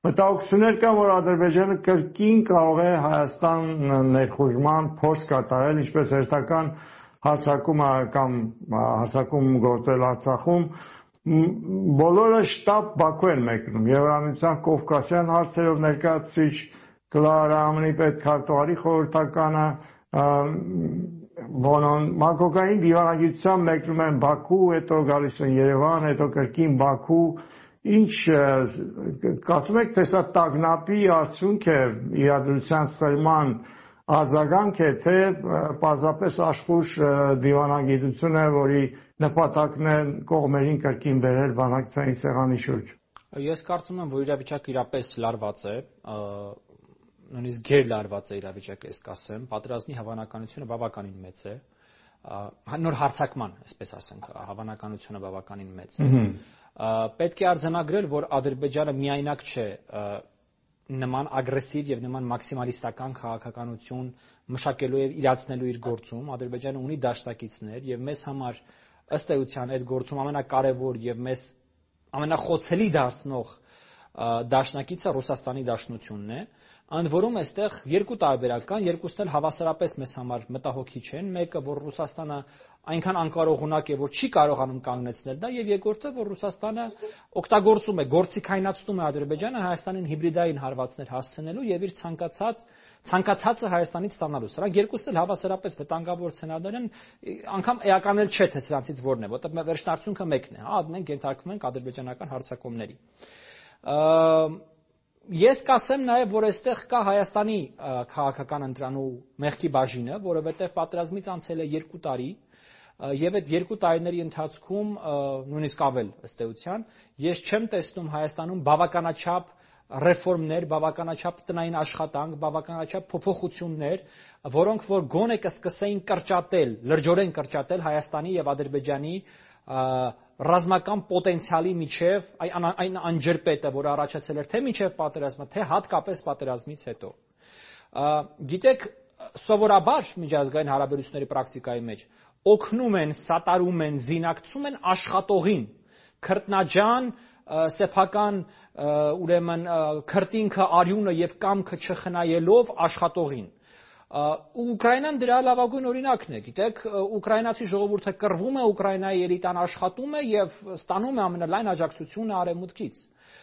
Մտահոգություններ կան, որ Ադրբեջանը կրկին կարող է Հայաստան ներխուժման փորձ կատարել, ինչպես հերթական հարձակումը կամ հարձակում գործել Արցախում, բոլորը շտապ Բաքու են մեկնում։ Եվրամիության Կովկասյան հարցերով ներկայացուցիչ Կլարա Ամենի պետքարտուղարի խորհրդականը մակրոկային դիվանագիտությամբ մեկնում են Բաքու, հետո գալիս են Երևան, հետո կրկին Բաքու։ Ինչ կարծում եք, թե սա տագնապի արդյունք է, իրադրության սրման արձագանք է, թե պարզապես աշխույժ դիվանագիտություն է, որի նպատակն է կողմերին կրկին բերել բանակցային սեղանի շուրջ։ Ես կարծում եմ, որ իրավիճակը իրապես լարված է, նույնիսկ գերլարված է իրավիճակը, ես կասեմ, պատերազմի հավանականությունը բավականին մեծ է, նոր հարձակման, այսպես ասենք, հավանականությունը բավականին մեծ է։ Պետք է արձանագրել, որ Ադրբեջանը միայնակ չէ նման ագրեսիվ եւ նման մաքսիմալիստական քաղաքականություն մշակելու եւ իրացնելու իր գործում։ Ադրբեջանը ունի դաշնակիցներ եւ մեզ համար ըստ էության այդ գործում ամենակարևոր եւ մեզ ամենախոցելի դարձնող դաշնակիցը Ռուսաստանի Դաշնությունն է։ Ընդ որում այստեղ երկու տարբերակ կան, երկուսն էլ հավասարապես մեզ համար մտահոգիչ են։ Մեկը, որ Ռուսաստանը այնքան անկարողունակ է, որ չի կարողանում կանգնեցնել դա, եւ երկրորդը, որ Ռուսաստանը օգտագործում է, գործիքայնացնում է Ադրբեջանը Հայաստանին հիբրիդային հարվածներ հասցնելու եւ իր ցանկացածը Հայաստանից ստանալու։ Սրանք երկուսն էլ հավասարապես վտանգավոր սցենարներ են, անգամ էական էլ չէ, թե սրանցից որն է, որտեղ վերջնարդյունքը մեկն է, հա, մենք ենթարկվում ենք ադրբեջանական հարձակումների։ Ես կասեմ նաև, որ այստեղ կա Հայաստանի քաղաքական ընտրանու մեղքի բաժինը, որովհետև պատերազմից անցել է 2 տարի, եւ այդ 2 տարիների ընթացքում նույնիսկ ավել ըստ էության, ես չեմ տեսնում Հայաստանում բավականաչափ ռեֆորմներ, բավականաչափ տնային աշխատանք, բավականաչափ փոփոխություններ, որոնք որ գոնե կսկսեին կրճատել, լրջորեն կրճատել Հայաստանի եւ Ադրբեջանի ռազմական պոտենցիալի միջև այն անջրպետը, որ առաջացել էր թե միջև պատերազմը, թե հատկապես պատերազմից հետո։ Գիտեք, սովորաբար միջազգային հարաբերությունների պրակտիկայի մեջ օգնում են, սատարում են, զինակցում են աշխատողին, քրտնաջան, սեփական ուրեմն քրտինքը, արյունը եւ կամքը չխնայելով աշխատողին։ Ուկրաինան դրա լավագույն օրինակն է, գիտեք, ուկրաինացի ժողովուրդը կռվում է, Ուկրաինայի էլիտան աշխատում է եւ ստանում է ամենալայն աջակցությունը արևմուտքից։